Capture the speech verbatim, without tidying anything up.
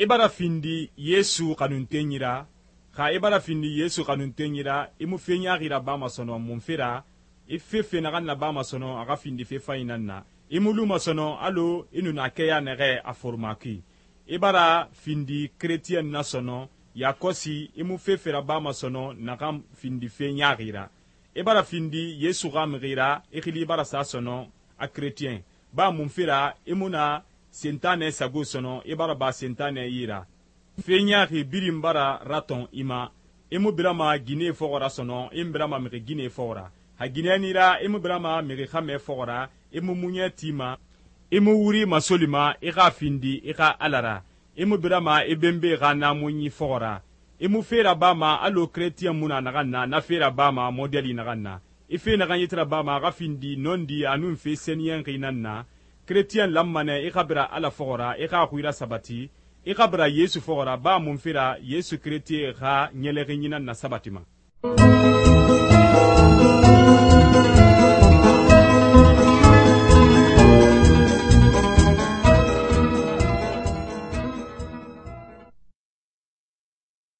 i bara findi Yesu xanuntenyi ra, xa i bara findi Yesu xanuntenyi ra, i mu fe ɲaaxi rabama sɔnɔn mun fe ra, i fefe naxan nabama sɔnɔn a xa findi fe fanyi nan na, i mu luma sɔnɔn allo i nu na kɛya nɛxɛ a foroma kui. I bara findi keretiyɛn na sɔnɔn yakɔsi i mu fefe rabama sɔnɔn naxan findi fe ɲaaxi ra. I bara findi Yesu xa mixi ra, i xili bara sa sɔnɔn a keretiyɛn, ba mun fe ra i mu na sentanɛ sago sɔnɔn i bara ba sentanɛ yi ra. Fe ɲaaxi birin bara ratɔn i ma, i mu birama ginɛ fɔxɔ ra sɔnɔn i mu birama mixi ginɛ fɔxɔ ra. Ha ginɛni ra i mu birama mixi xamɛ fɔxɔ ra, i mu muɲɛ ti ma, i mu wuri masoli ma i xa findi i xa Ala ra, i mu birama i benbe xa naamunyi fɔxɔ ra, i mu fe rabama allo keretiyɛn mu na naxan na na fe rabama modɛli naxan na, i fe naxan yeti rabama a xa findi nɔndi a nun fe sɛniyɛnxi nan na, keretiyɛn lanma nɛ i xa bira Ala fɔxɔ ra i xa xui rasabati, i xa bira Yesu fɔxɔ ra ba mun fe ra Yesu keretiye xa ɲɛlɛxinyi nan na sabatima.